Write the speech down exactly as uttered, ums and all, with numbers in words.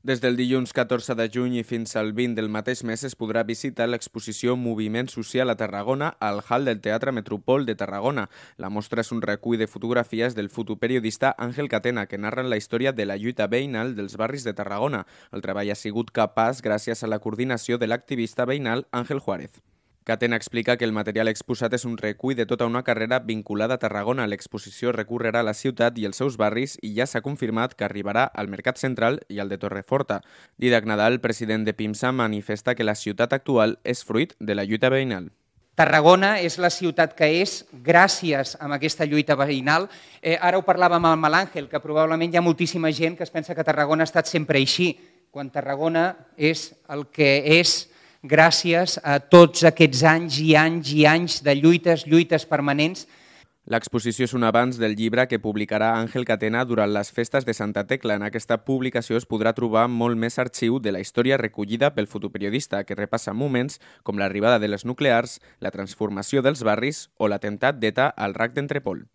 Des del dilluns catorze de juny i fins al vint del mateix mes es podrà visitar l'exposició Moviment Social a Tarragona al hall del Teatre Metropol de Tarragona. La mostra és un recull de fotografies del fotoperiodista Àngel Catena que narren la història de la lluita veïnal dels barris de Tarragona. El treball ha sigut capaç gràcies a la coordinació de l'activista veïnal Àngel Juárez. Catena explica que el material exposat és un recull de tota una carrera vinculada a Tarragona. L'exposició recorrerà la ciutat i els seus barris i ja s'ha confirmat que arribarà al Mercat Central i al de Torreforta. Didac Nadal, president de PIMSA, manifesta que la ciutat actual és fruit de la lluita veïnal. Tarragona és la ciutat que és gràcies a aquesta lluita veïnal. Eh, ara ho parlàvem amb l'Àngel, que probablement hi ha moltíssima gent que es pensa que Tarragona ha estat sempre així, quan Tarragona és el que és gràcies a tots aquests anys i anys i anys de lluites, lluites permanents. L'exposició és un avanç del llibre que publicarà Àngel Catena durant les festes de Santa Tecla. En aquesta publicació es podrà trobar molt més arxiu de la història recollida pel fotoperiodista, que repassa moments com l'arribada de les nuclears, la transformació dels barris o l'atemptat d'E T A al R A C d'Entrepol.